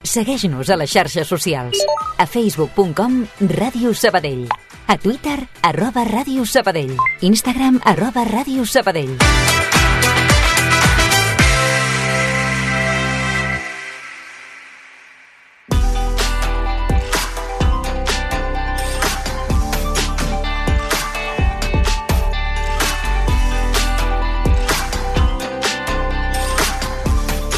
Segueix-nos a les xarxes socials. A facebook.com/Ràdio Sabadell. A Twitter, @Ràdio Sabadell. Instagram, @Ràdio Sabadell.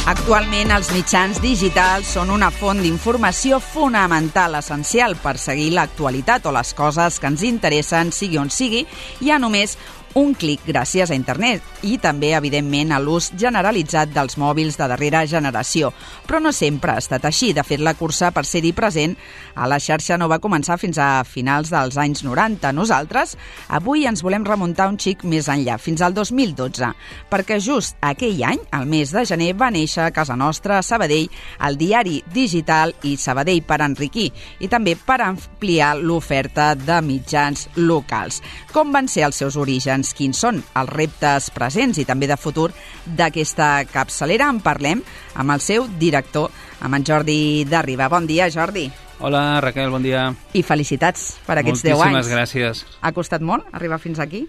Actualment, els mitjans digitals són una font d'informació fonamental, essencial per seguir l'actualitat o les coses que ens interessen, sigui on sigui, hi ha només un clic gràcies a internet i també, evidentment, a l'ús generalitzat dels mòbils de darrera generació. Però no sempre ha estat així. De fet, la cursa per ser-hi present a la xarxa no va començar fins a finals dels anys 90. Nosaltres avui ens volem remuntar un xic més enllà, fins al 2012, perquè just aquell any, al mes de gener, va néixer a casa nostra, a Sabadell, el diari digital i Sabadell per enriquir i també per ampliar l'oferta de mitjans locals. Com van ser els seus orígens? Quins són els reptes presents i també de futur d'aquesta capçalera? En parlem amb el seu director, amb en Jordi Derriba. Bon dia, Jordi. Hola, Raquel, bon dia. I felicitats per aquests 10 anys. Moltíssimes gràcies. Ha costat molt arribar fins aquí?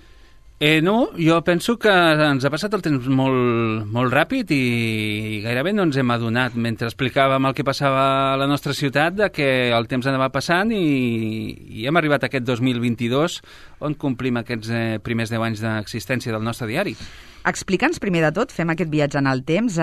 No, jo penso que ens ha passat el temps molt ràpid i gairebé no ens hem adonat mentre explicàvem el que passava a la nostra ciutat de que el temps anava passant i hem arribat a aquest 2022 on complim aquests primers 10 anys d'existència del nostre diari. Explica'ns primer de tot, fem aquest viatge en el temps,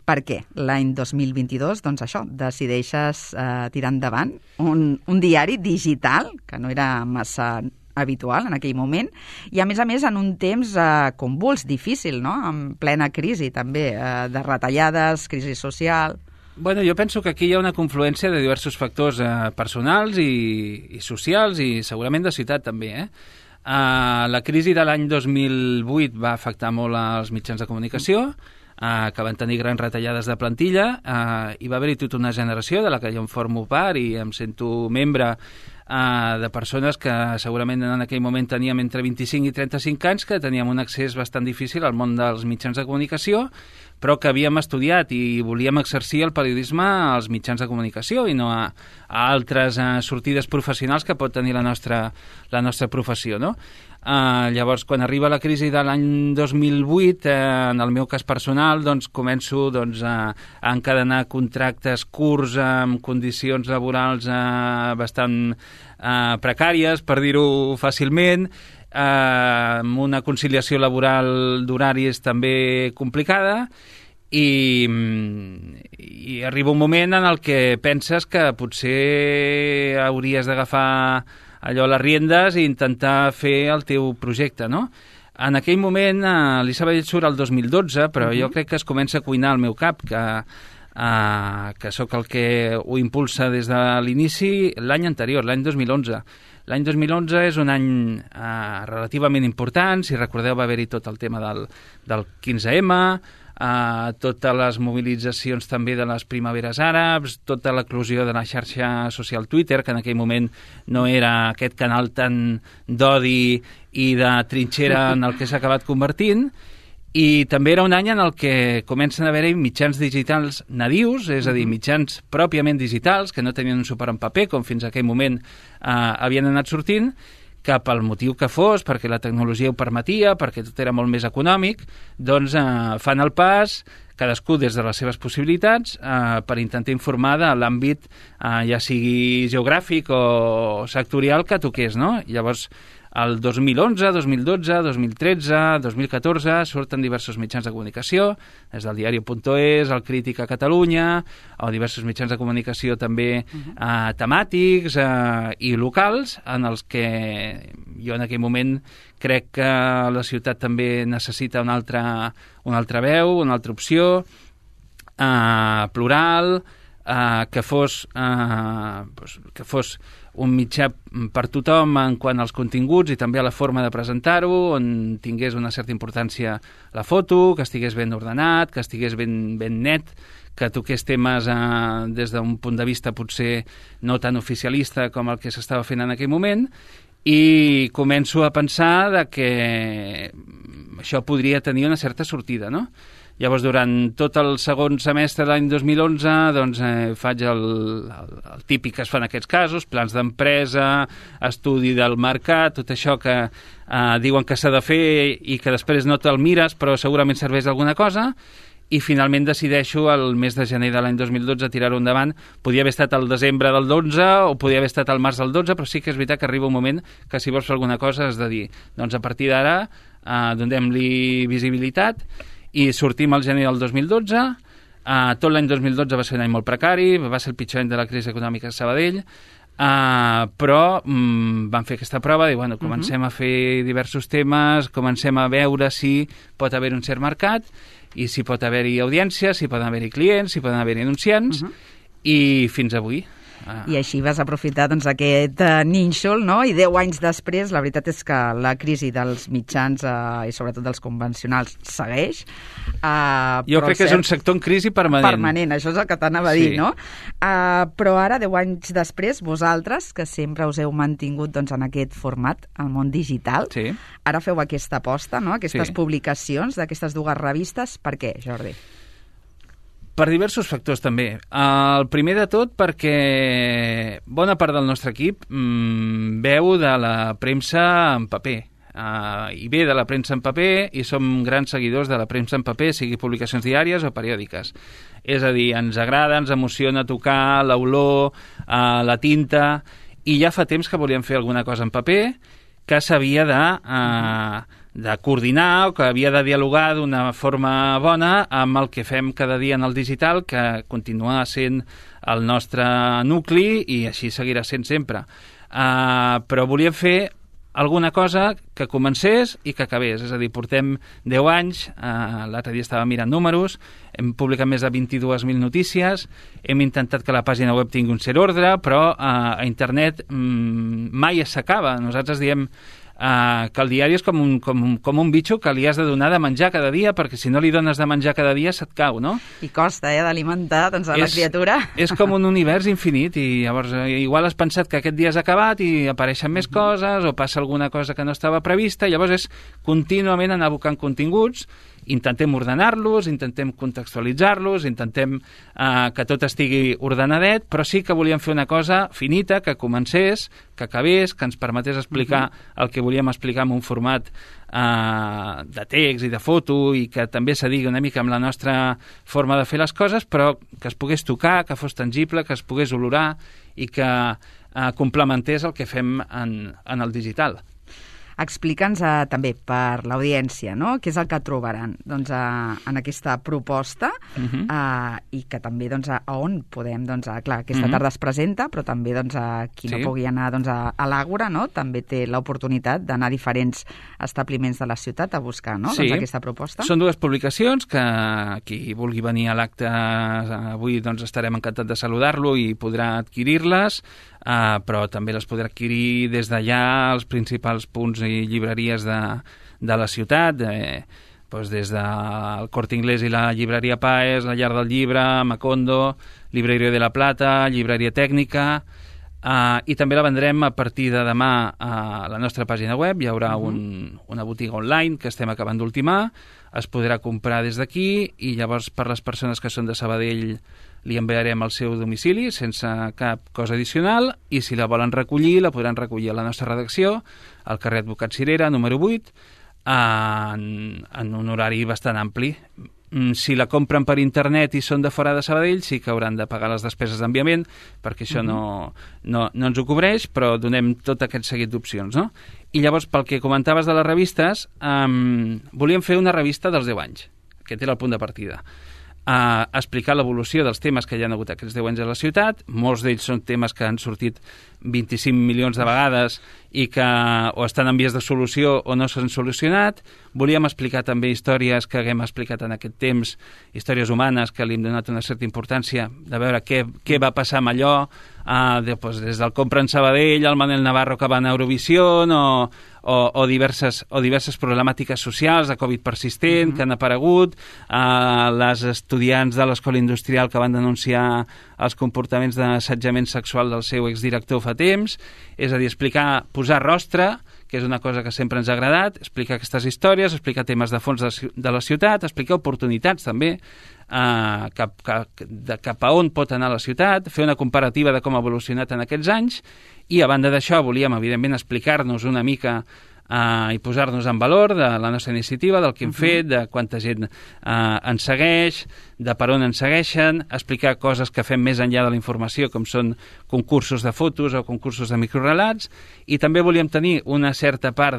per què l'any 2022, doncs això, decideixes tirar endavant un diari digital, que no era massa habitual en aquell moment, i a més en un temps convuls, difícil, no? En plena crisi també, de retallades, crisi social. Bueno, jo penso que aquí hi ha una confluència de diversos factors personals i socials i segurament de ciutat també, La crisi de l'any 2008 va afectar molt als mitjans de comunicació, que van tenir grans retallades de plantilla, i va haver-hi tota una generació de la que jo em formo part i em sento membre de persones que segurament en aquell moment teníem entre 25 i 35 anys, que teníem un accés bastant difícil al món dels mitjans de comunicació, però que havíem estudiat i volíem exercir el periodisme als mitjans de comunicació i no a altres sortides professionals que pot tenir la nostra professió, no? Llavors, quan arriba la crisi de l'any 2008, en el meu cas personal, doncs, començo a encadenar contractes curts amb condicions laborals bastant precàries, per dir-ho fàcilment, amb una conciliació laboral d'horaris també complicada i arriba un moment en el que penses que potser hauries d'agafar allò les riendes i intentar fer el teu projecte, no? En aquell moment, l'Isabel surt el 2012, però jo crec que es comença a cuinar al meu cap, que sóc el que ho impulsa des de l'inici l'any anterior, l'any 2011. L'any 2011 és un any relativament important, si recordeu va haver-hi tot el tema del 15M, totes les mobilitzacions també de les primaveres àrabs, tota l'eclosió de la xarxa social Twitter, que en aquell moment no era aquest canal tan d'odi i de trinxera en el que s'ha acabat convertint, i també era un any en el que comencen a haver-hi mitjans digitals nadius, és a dir, mitjans pròpiament digitals, que no tenien un suport en paper, com fins a aquell moment havien anat sortint, que pel motiu que fos, perquè la tecnologia ho permetia, perquè tot era molt més econòmic, doncs fan el pas, cadascú des de les seves possibilitats, per intentar informar de l'àmbit, ja sigui geogràfic o sectorial, que toqués, no? Llavors, el 2011, 2012, 2013, 2014 surten diversos mitjans de comunicació, des del diario.es, el Crític a Catalunya, o diversos mitjans de comunicació també temàtics i locals, en els que jo en aquell moment crec que la ciutat també necessita una altra veu, una altra opció, plural, que fos un mitjà per tothom en quant als continguts i també a la forma de presentar-ho, on tingués una certa importància la foto, que estigués ben ordenat, que estigués ben net, que toqués temes des d'un punt de vista potser no tan oficialista com el que s'estava fent en aquell moment, i començo a pensar que això podria tenir una certa sortida, no? Llavors, durant tot el segon semestre de l'any 2011, doncs, faig el típic que es fa en aquests casos, plans d'empresa, estudi del mercat, tot això que diuen que s'ha de fer i que després no te'l mires, però segurament serveix alguna cosa, i finalment decideixo el mes de gener de l'any 2012 tirar-ho endavant. Podia haver estat el desembre del 12 o podia haver estat el març del 12, però sí que és veritat que arriba un moment que si vols fer alguna cosa has de dir, doncs a partir d'ara donem-li visibilitat, i sortim al gener del 2012. Tot l'any 2012 va ser un any molt precari, va ser el pitjor any de la crisi econòmica a Sabadell, però vam fer aquesta prova, comencem a fer diversos temes, comencem a veure si pot haver un cert mercat, i si pot haver-hi audiència, si poden haver-hi clients, si poden haver-hi anunciants, i fins avui. I així vas aprofitar aquest nínxol, no? I 10 anys després, la veritat és que la crisi dels mitjans i sobretot dels convencionals segueix. Jo crec que és un sector en crisi permanent. Permanent, això és el que t'anava a dir, no? Però ara, 10 anys després, vosaltres, que sempre us heu mantingut en aquest format, al món digital, ara feu aquesta aposta, no? Aquestes publicacions d'aquestes dues revistes. Per què, Jordi? Per diversos factors, també. El primer de tot perquè bona part del nostre equip veu de la premsa en paper. I ve de la premsa en paper i som grans seguidors de la premsa en paper, sigui publicacions diàries o periòdiques. És a dir, ens agrada, ens emociona tocar l'olor, la tinta, i ja fa temps que volíem fer alguna cosa en paper que s'havia de coordinar o que havia de dialogar d'una forma bona amb el que fem cada dia en el digital, que continua sent el nostre nucli i així seguirà sent sempre. Però volíem fer alguna cosa que comencés i que acabés. És a dir, portem 10 anys, l'altre dia estava mirant números, hem publicat més de 22.000 notícies, hem intentat que la pàgina web tingui un cert ordre, però a internet mai s'acaba. Nosaltres diem que el diari és com un bitxo que li has de donar de menjar cada dia, perquè si no li dones de menjar cada dia se't cau, no? I costa, d'alimentar a la criatura. És com un univers infinit, i llavors igual has pensat que aquest dia has acabat i apareixen més coses, o passa alguna cosa que no estava prevista, i llavors és contínuament anar buscant continguts. Intentem ordenar-los, intentem contextualitzar-los, intentem que tot estigui ordenadet, però sí que volíem fer una cosa finita, que comencés, que acabés, que ens permetés explicar el que volíem explicar en un format de text i de foto, i que també s'adigui una mica amb la nostra forma de fer les coses, però que es pogués tocar, que fos tangible, que es pogués olorar i que complementés el que fem en el digital. Explica'ns també per l'audiència, no? Què és el que trobaran en aquesta proposta i que també a on podem, clar, aquesta tarda es presenta, però també qui no pugui anar a l'Àgora, no? També té l'oportunitat d'anar a diferents establiments de la ciutat a buscar aquesta proposta. Són dues publicacions que qui vulgui venir a l'acte avui estarem encantats de saludar-lo i podrà adquirir-les, però també les podrà adquirir des d'allà als principals punts i llibreries de la ciutat, des del Corte Inglés i la llibreria Paes, la Llar del Llibre, Macondo, Libreria de la Plata, Llibreria Tècnica, i també la vendrem a partir de demà a la nostra pàgina web. Hi haurà una botiga online que estem acabant d'ultimar, es podrà comprar des d'aquí, i llavors per les persones que són de Sabadell li enviarem al seu domicili sense cap cosa addicional, i si la volen recollir, la podran recollir a la nostra redacció, al carrer Advocat Cirera, número 8, en un horari bastant ampli. Si la compren per internet i són de fora de Sabadell, sí que hauran de pagar les despeses d'enviament, perquè això no ens ho cobreix, però donem tot aquest seguit d'opcions, no? I llavors, pel que comentaves de les revistes, volíem fer una revista dels 10 anys. Aquest era el punt de partida. Explicar l'evolució dels temes que hi ha hagut aquests 10 anys a la ciutat. Molts d'ells són temes que han sortit 25 milions de vegades i que o estan en vies de solució o no s'han solucionat. Volíem explicar també històries que haguem explicat en aquest temps, històries humanes que li hem donat una certa importància, de veure què va passar amb allò, des del Compra en Sabadell, el Manel Navarro que va a Eurovision, o diverses problemàtiques socials de Covid persistent que han aparegut, les estudiants de l'Escola Industrial que van denunciar els comportaments d'assetjament sexual del seu exdirector fa temps. És a dir, explicar, posar rostre, que és una cosa que sempre ens ha agradat, explicar aquestes històries, explicar temes de fons de la ciutat, explicar oportunitats també, cap a on pot anar la ciutat, fer una comparativa de com ha evolucionat en aquests anys, i a banda d'això volíem, evidentment, explicar-nos una mica i posar-nos en valor de la nostra iniciativa, del que hem fet, de quanta gent ens segueix, de per on ens segueixen, explicar coses que fem més enllà de la informació, com són concursos de fotos o concursos de microrelats, i també volíem tenir una certa part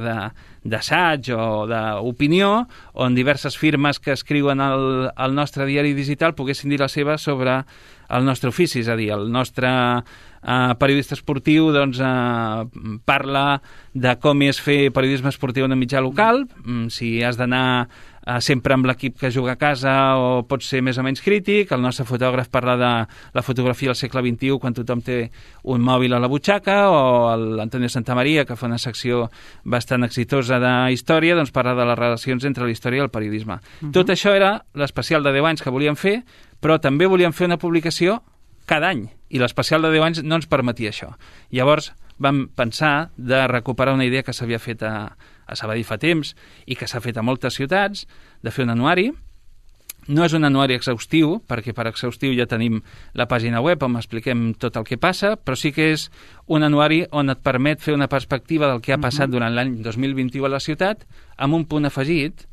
d'assaig o d'opinió, on diverses firmes que escriuen al nostre diari digital poguessin dir la seva sobre el nostre ofici, és a dir, el nostre periodista esportiu parla de com és fer periodisme esportiu en un mitjà local, si has d'anar sempre amb l'equip que juga a casa o pot ser més o menys crític. El nostre fotògraf parla de la fotografia del segle XXI quan tothom té un mòbil a la butxaca, o l'Antonio Santamaria, que fa una secció bastant exitosa de història, doncs parla de les relacions entre la història i el periodisme. Tot això era l'especial de 10 anys que volíem fer, però també volíem fer una publicació cada any, i l'especial de 10 anys no ens permetia això. Llavors vam pensar de recuperar una idea que s'havia fet a Sabadell fa temps i que s'ha fet a moltes ciutats, de fer un anuari. No és un anuari exhaustiu, perquè per exhaustiu ja tenim la pàgina web on expliquem tot el que passa, però sí que és un anuari on et permet fer una perspectiva del que ha passat durant l'any 2021 a la ciutat, amb un punt afegit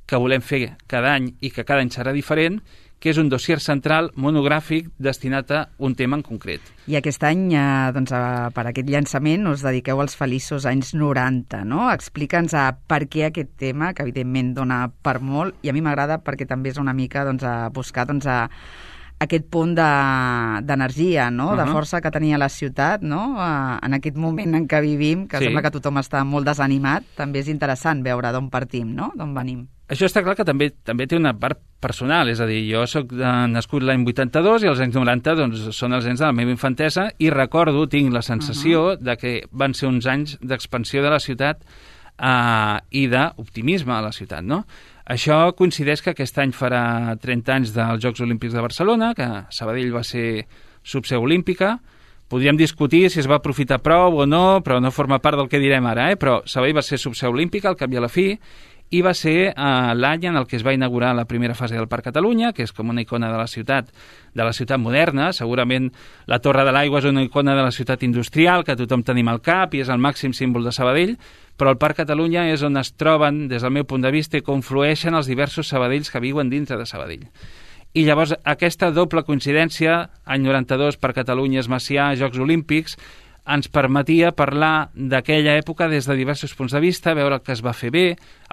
que volem fer cada any i que cada any serà diferent, que és un dossier central monogràfic destinat a un tema en concret. I aquest any, per aquest llançament, us dediqueu als feliços anys 90, no? Explica'ns per què aquest tema, que evidentment dona per molt, i a mi m'agrada perquè també és una mica buscar aquest punt d'energia, no? De força que tenia la ciutat, no? En aquest moment en què vivim, que sembla que tothom està molt desanimat, també és interessant veure d'on partim, no? D'on venim. Això està clar que també té una part personal, és a dir, jo soc nascut l'any 82 i els anys 90 doncs, són els anys de la meva infantesa, i recordo, tinc la sensació de que van ser uns anys d'expansió de la ciutat i d'optimisme a la ciutat, no? Això coincideix que aquest any farà 30 anys dels Jocs Olímpics de Barcelona, que Sabadell va ser subseu olímpica. Podríem discutir si es va aprofitar prou o no, però no forma part del que direm ara, però Sabadell va ser subseu olímpica al cap i a la fi, i va ser l'any en el que es va inaugurar la primera fase del Parc Catalunya, que és com una icona de la ciutat moderna. Segurament la Torre de l'Aigua és una icona de la ciutat industrial que tothom tenim al cap i és el màxim símbol de Sabadell, però el Parc Catalunya és on es troben, des del meu punt de vista, i conflueixen els diversos Sabadells que viuen dintre de Sabadell. I llavors aquesta doble coincidència, any 92, Parc Catalunya, Macià, Jocs Olímpics, ens permetia parlar d'aquella època des de diversos punts de vista, veure el que es va fer bé,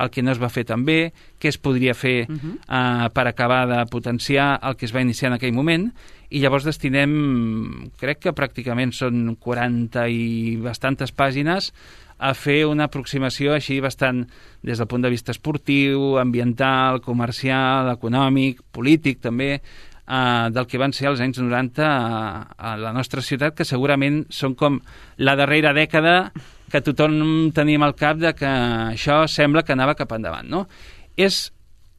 el que no es va fer tan bé, què es podria fer per acabar de potenciar el que es va iniciar en aquell moment, i llavors destinem, crec que pràcticament són 40 i bastantes pàgines, a fer una aproximació així bastant des del punt de vista esportiu, ambiental, comercial, econòmic, polític també, del que van ser els anys 90 a la nostra ciutat, que segurament són com la darrera dècada que tothom tenim al cap de que això sembla que anava cap endavant, no? És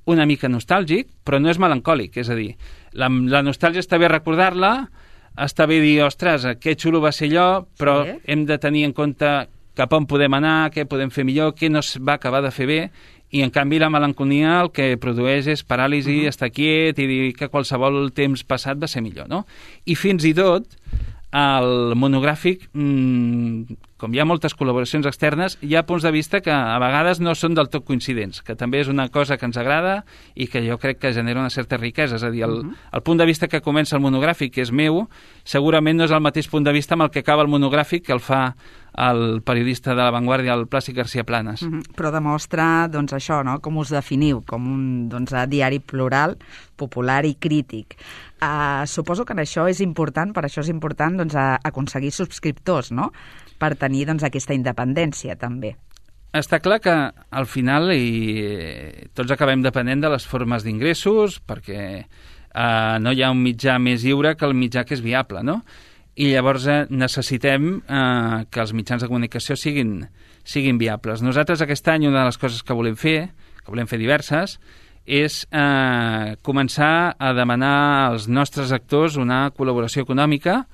una mica nostàlgic, però no és melancòlic, és a dir, la nostàlgia està bé recordar-la, està bé dir, ostres, que xulo va ser allò, però hem de tenir en compte cap on podem anar, què podem fer millor, què no es va acabar de fer bé, i en canvi la melancolia el que produeix és paràlisi, estar quiet i dir que qualsevol temps passat va ser millor, no? I fins i tot el monogràfic, com hi ha moltes col·laboracions externes, hi ha punts de vista que a vegades no són del tot coincidents, que també és una cosa que ens agrada i que jo crec que genera una certa riquesa. És a dir, el punt de vista que comença el monogràfic, que és meu, segurament no és el mateix punt de vista amb el que acaba el monogràfic, que el fa el periodista de La Vanguardia, el Plàcid García Planas. Però demostra, doncs, això, no? Com us definiu, com un diari plural, popular i crític. Suposo que això és important, per això és important aconseguir subscriptors, no? Per tenir aquesta independència, també. Està clar que al final tots acabem depenent de les formes d'ingressos, perquè no hi ha un mitjà més lliure que el mitjà que és viable, no? I llavors necessitem que els mitjans de comunicació siguin viables. Nosaltres aquest any una de les coses que volem fer diverses, és començar a demanar als nostres actors una col·laboració econòmica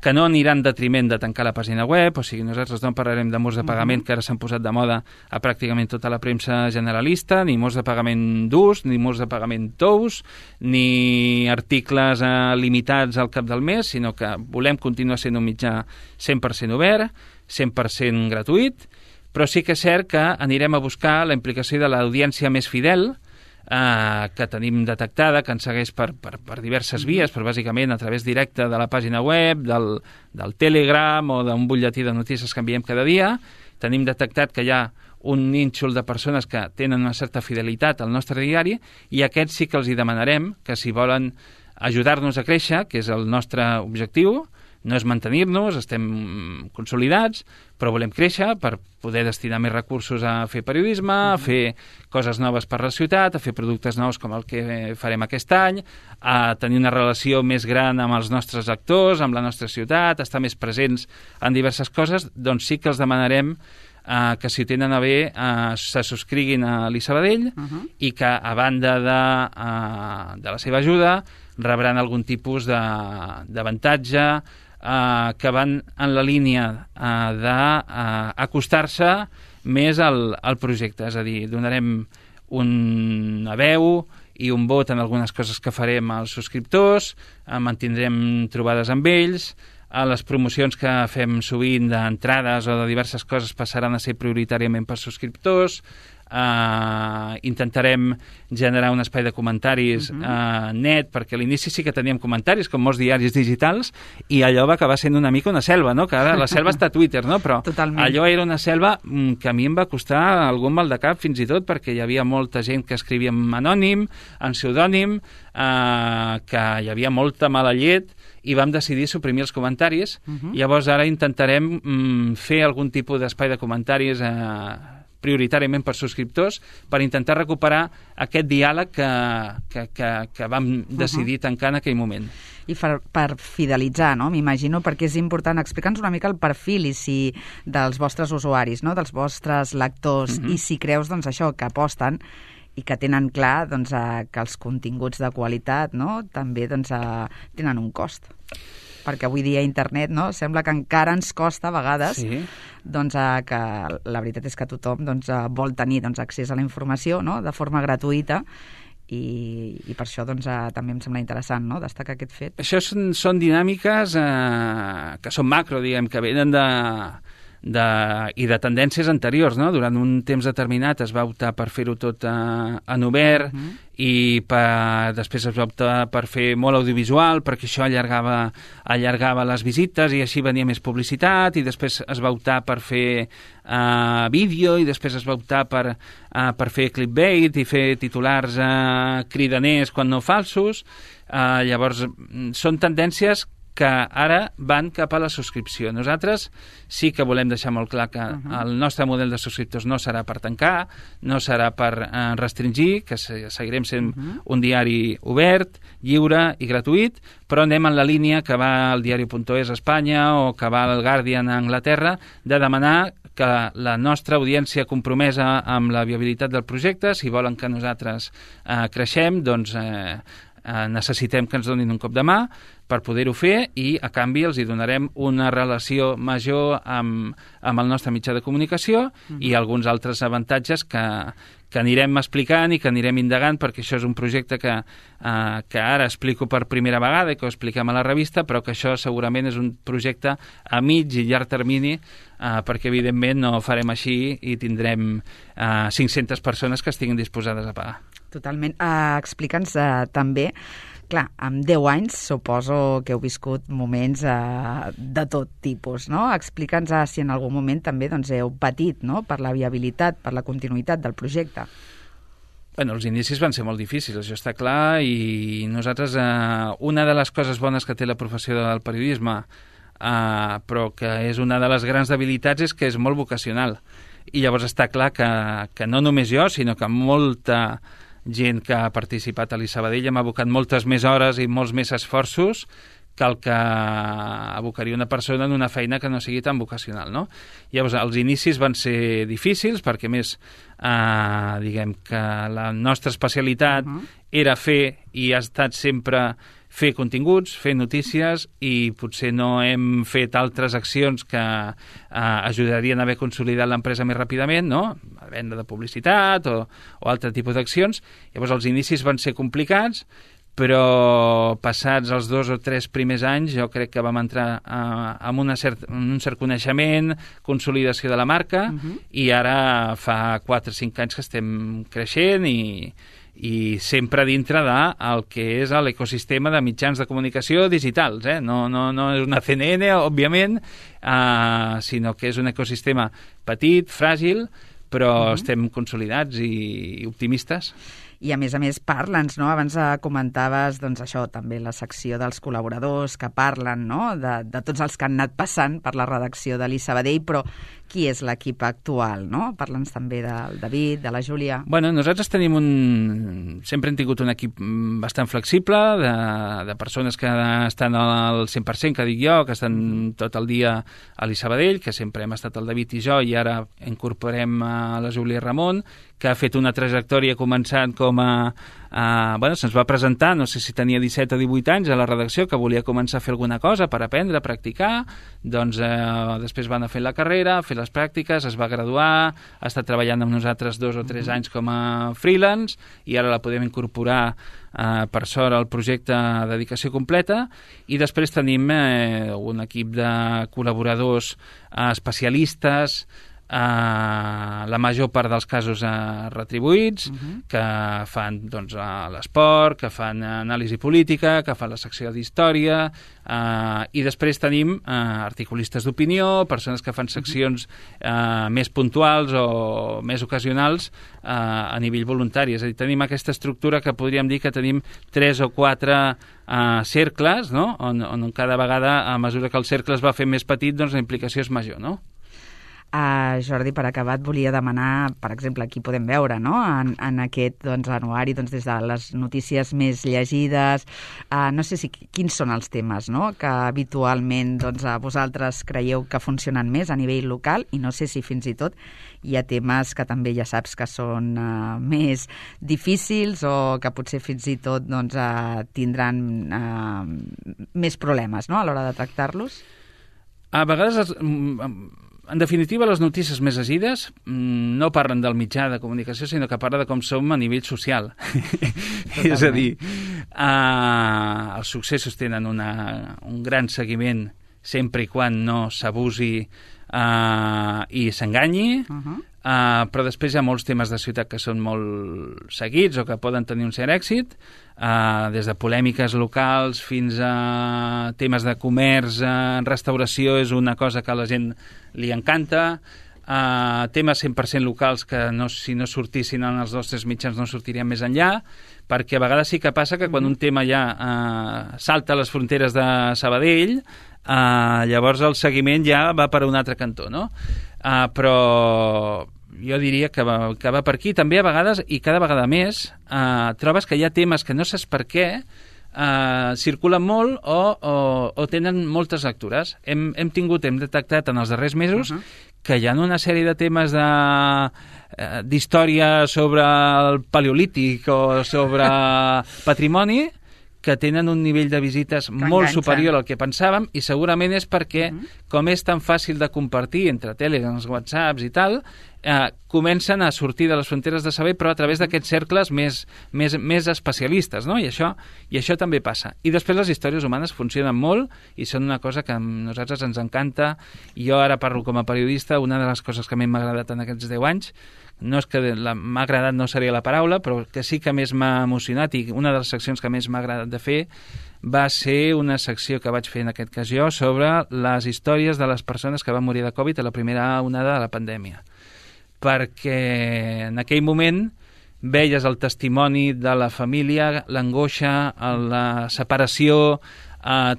que no anirà en detriment de tancar la pàgina web, o sigui, nosaltres no parlarem de murs de pagament que ara s'han posat de moda a pràcticament tota la premsa generalista, ni murs de pagament durs, ni murs de pagament tous, ni articles limitats al cap del mes, sinó que volem continuar sent un mitjà 100% obert, 100% gratuït, però sí que és cert que anirem a buscar la implicació de l'audiència més fidel, que tenim detectada, que ens segueix per diverses vies, però bàsicament a través directe de la pàgina web, del Telegram o d'un butlletí de notícies que enviem cada dia. Tenim detectat que hi ha un nínxol de persones que tenen una certa fidelitat al nostre diari i aquests sí que els hi demanarem que si volen ajudar-nos a créixer, que és el nostre objectiu, no és mantenir-nos, estem consolidats, però volem créixer per poder destinar més recursos a fer periodisme, a fer coses noves per la ciutat, a fer productes nous com el que farem aquest any, a tenir una relació més gran amb els nostres actors, amb la nostra ciutat, a estar més presents en diverses coses, doncs sí que els demanarem que si ho tenen a bé se subscriguin a l'I-Sabadell i que a banda de la seva ajuda rebran algun tipus d'avantatge que van en la línia d'acostar-se més al projecte. És a dir, donarem una veu i un vot en algunes coses que farem als subscriptors, mantindrem trobades amb ells, les promocions que fem sovint d'entrades o de diverses coses passaran a ser prioritàriament per subscriptors, intentarem generar un espai de comentaris net, perquè a l'inici sí que teníem comentaris, com molts diaris digitals, i allò va acabar sent una mica una selva, no? Que ara la selva està a Twitter, no? Però totalment. Allò era una selva que a mi em va costar algun mal de cap, fins i tot, perquè hi havia molta gent que escrivia en anònim, en pseudònim, que hi havia molta mala llet, i vam decidir suprimir els comentaris. Llavors ara intentarem fer algun tipus d'espai de comentaris prioritàriament per subscriptors, per intentar recuperar aquest diàleg que vam decidir tancar en aquell moment. I per fidelitzar, no? M'imagino, perquè és important. Explica'ns una mica el perfil dels vostres usuaris, no? Dels vostres lectors, i si creus doncs, això que aposten i que tenen clar doncs, que els continguts de qualitat, no? També doncs, tenen un cost. Perquè avui dia internet, no? Sembla que encara ens costa a vegades, doncs, que la veritat és que tothom doncs, vol tenir doncs, accés a la informació, no? De forma gratuïta, i per això doncs, també em sembla interessant, no? Destacar aquest fet. Això són dinàmiques que són macro, diguem, que venen i de tendències anteriors, no? Durant un temps determinat es va optar per fer-ho tot en obert i després es va optar per fer molt audiovisual perquè això allargava les visites i així venia més publicitat, i després es va optar per fer vídeo, i després es va optar per fer clickbait i fer titulars cridaners quan no falsos. Llavors són tendències que ara van cap a la subscripció. Nosaltres sí que volem deixar molt clar que el nostre model de subscriptors no serà per tancar, no serà per restringir, que seguirem sent un diari obert, lliure i gratuït, però anem en la línia que va el diari.es a Espanya o que va el Guardian a Anglaterra, de demanar que la nostra audiència compromesa amb la viabilitat del projecte, si volen que nosaltres creixem, doncs necessitem que ens donin un cop de mà per poder-ho fer, i a canvi els hi donarem una relació major amb el nostre mitjà de comunicació i alguns altres avantatges que anirem explicant i que anirem indagant, perquè això és un projecte que ara explico per primera vegada i que ho expliquem a la revista, però que això segurament és un projecte a mig i llarg termini, perquè evidentment no ho farem així i tindrem 500 persones que estiguin disposades a pagar. Totalment. Explica'ns també, clar, amb 10 anys suposo que heu viscut moments de tot tipus, no? Explica'ns si en algun moment també doncs, heu patit, no?, per la viabilitat, per la continuïtat del projecte. Bueno, els inicis van ser molt difícils, això està clar, i nosaltres, una de les coses bones que té la professió del periodisme, però que és una de les grans debilitats, és que és molt vocacional. I llavors està clar que no només jo, sinó que molta gent que ha participat a l'I-Sabadell hem abocat moltes més hores i molts més esforços que el que abocaria una persona en una feina que no sigui tan vocacional, no? Llavors, els inicis van ser difícils perquè, més, diguem que la nostra especialitat era fer, i ha estat sempre fer continguts, fer notícies, i potser no hem fet altres accions que ajudarien a haver consolidat l'empresa més ràpidament, no? A venda de publicitat o altre tipus d'accions. Llavors els inicis van ser complicats, però passats els 2 o 3 primers anys jo crec que vam entrar amb un cert coneixement, consolidació de la marca, i ara fa 4 o 5 anys que estem creixent i sempre dintre del que és l'ecosistema de mitjans de comunicació digitals, no és una CNN, òbviament, sinó que és un ecosistema petit, fràgil, però estem consolidats i optimistes. I a més parla'ns, no? Abans comentaves, doncs això, també la secció dels col·laboradors que parlen, no? De tots els que han anat passant per la redacció de l'I-Sabadell, però qui és l'equip actual, no? Parla'ns també del David, de la Júlia. Bueno, nosaltres sempre hem tingut un equip bastant flexible, de persones que estan al 100%, que dic jo, que estan tot el dia a l'I-Sabadell, que sempre hem estat el David i jo, i ara incorporem a la Júlia i Ramon, que ha fet una trajectòria començant com se'ns va presentar, no sé si tenia 17 o 18 anys a la redacció, que volia començar a fer alguna cosa per aprendre, practicar, doncs després van a fer la carrera, a fer les pràctiques, es va graduar, ha estat treballant amb nosaltres 2 o 3 anys com a freelance, i ara la podem incorporar per sort al projecte de dedicació completa, i després tenim un equip de col·laboradors especialistes, la major part dels casos retribuïts, que fan l'esport, que fan anàlisi política, que fan la secció d'història, i després tenim articulistes d'opinió, persones que fan seccions més puntuals o més ocasionals a nivell voluntari. És a dir, tenim aquesta estructura que podríem dir que tenim 3 o 4 cercles, no? On cada vegada, a mesura que el cercle es va fer més petit, doncs la implicació és major, no? Jordi, per acabar, et volia demanar, per exemple, aquí podem veure, no? En aquest anuari, des de les notícies més llegides, no sé quins són els temes, no?, que habitualment vosaltres creieu que funcionen més a nivell local, i no sé si fins i tot hi ha temes que també ja saps que són més difícils o que potser fins i tot tindran més problemes, no?, a l'hora de tractar-los. A vegades en definitiva, les notícies més llegides no parlen del mitjà de comunicació, sinó que parla de com som a nivell social. És a dir, els successos tenen un gran seguiment sempre i quan no s'abusi i s'enganyi, però després hi ha molts temes de ciutat que són molt seguits o que poden tenir un cert èxit, des de polèmiques locals fins a temes de comerç, restauració és una cosa que a la gent li encanta, temes 100% locals que si no sortissin en els nostres mitjans no sortirien més enllà, perquè a vegades sí que passa que quan un tema ja salta les fronteres de Sabadell, llavors el seguiment ja va per un altre cantó, no? Però jo diria que va per aquí. També a vegades, i cada vegada més, trobes que hi ha temes que no saps per què circulen molt o tenen moltes lectures. Hem detectat en els darrers mesos que hi ha una sèrie de temes d'història sobre el paleolític o sobre patrimoni que tenen un nivell de visites molt superior al que pensàvem, i segurament és perquè, com és tan fàcil de compartir entre Telegrams, WhatsApps i tal, comencen a sortir de les fronteres de saber, però a través d'aquests cercles més especialistes, no? I això també passa. I després les històries humanes funcionen molt i són una cosa que a nosaltres ens encanta. I jo ara parlo com a periodista, una de les coses que a mi m'ha agradat en aquests 10 anys, no és que m'ha agradat, no seria la paraula, però que sí que més m'ha emocionat, i una de les seccions que més m'ha agradat de fer va ser una secció que vaig fer en aquest cas jo sobre les històries de les persones que van morir de Covid a la primera onada de la pandèmia. Perquè en aquell moment veies el testimoni de la família, l'angoixa, la separació,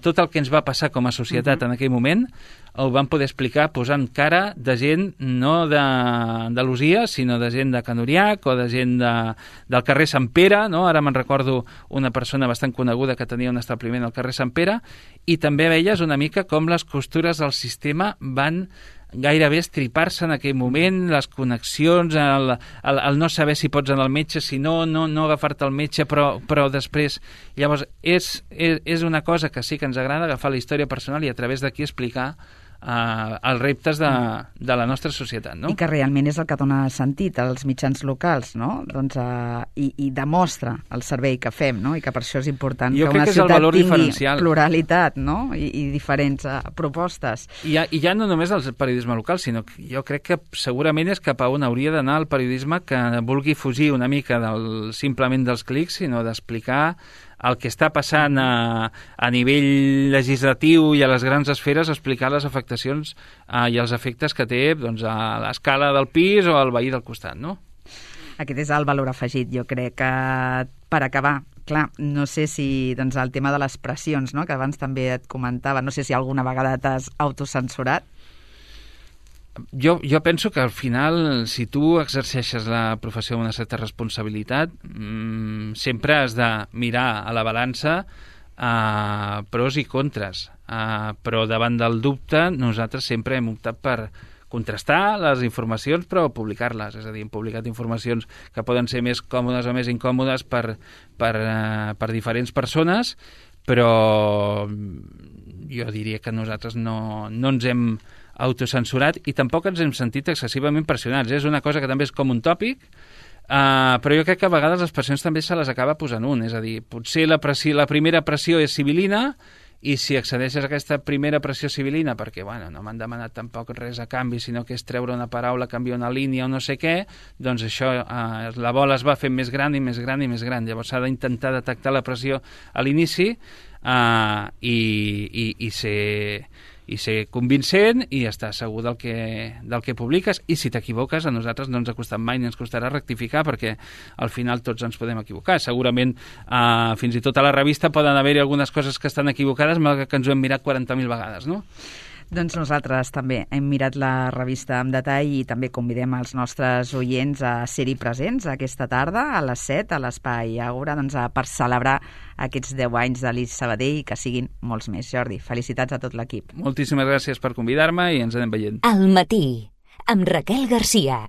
tot el que ens va passar com a societat en aquell moment, ho van poder explicar posant cara de gent no d'Andalusia, sinó de gent de Can Uriac o de gent del carrer Sant Pere, no? Ara me'n recordo una persona bastant coneguda que tenia un establiment al carrer Sant Pere, i també veies una mica com les costures del sistema van gairebé estripar-se en aquell moment, les connexions, el no saber si pots anar al metge, si no agafar-te al metge, però després... Llavors, és una cosa que sí que ens agrada, agafar la història personal i a través d'aquí explicar els reptes de la nostra societat, no? I que realment és el que dona sentit als mitjans locals, no? Doncs, i demostra el servei que fem, no? I que per això és important que una ciutat tingui pluralitat, no? I diferents propostes. I ja no només el periodisme local, sinó que jo crec que segurament és cap a on hauria d'anar el periodisme que vulgui fugir una mica simplement dels clics, sinó d'explicar el que està passant a nivell legislatiu i a les grans esferes, explicar les afectacions i els efectes que té doncs, a l'escala del pis o al veí del costat, no? Aquest és el valor afegit. Jo crec que, per acabar, clar, no sé si doncs, el tema de les pressions, no?, que abans també et comentava, no sé si alguna vegada t'has autocensurat. Jo penso que al final, si tu exerceixes la professió amb una certa responsabilitat, sempre has de mirar a la balança pros i contres. Però davant del dubte, nosaltres sempre hem optat per contrastar les informacions però publicar-les, és a dir, hem publicat informacions que poden ser més còmodes o més incòmodes per diferents persones, però jo diria que nosaltres no ens hem autocensurat i tampoc ens hem sentit excessivament pressionats. És una cosa que també és com un tòpic, però jo crec que a vegades les pressions també se les acaba posant un, és a dir, potser la primera pressió és civilina i si accedeixes a aquesta primera pressió civilina perquè, bueno, no m'han demanat tampoc res a canvi, sinó que és treure una paraula, canviar una línia o no sé què, doncs això, la bola es va fent més gran i més gran i més gran. Llavors s'ha d'intentar detectar la pressió a l'inici i ser convincent i estar segur del que publiques, i si t'equivoques a nosaltres no ens ha costat mai ni ens costarà rectificar, perquè al final tots ens podem equivocar. Segurament fins i tot a la revista poden haver-hi algunes coses que estan equivocades, malgrat que ens ho hem mirat 40.000 vegades, no? Doncs nosaltres també hem mirat la revista amb detall i també convidem els nostres oients a ser-hi presents aquesta tarda a les 7 a l'Espai Àgora, doncs, per celebrar aquests 10 anys de l'IS Sabadell i que siguin molts més. Jordi, felicitats a tot l'equip. Moltíssimes gràcies per convidar-me i ens anem veient. Al matí, amb Raquel Garcia.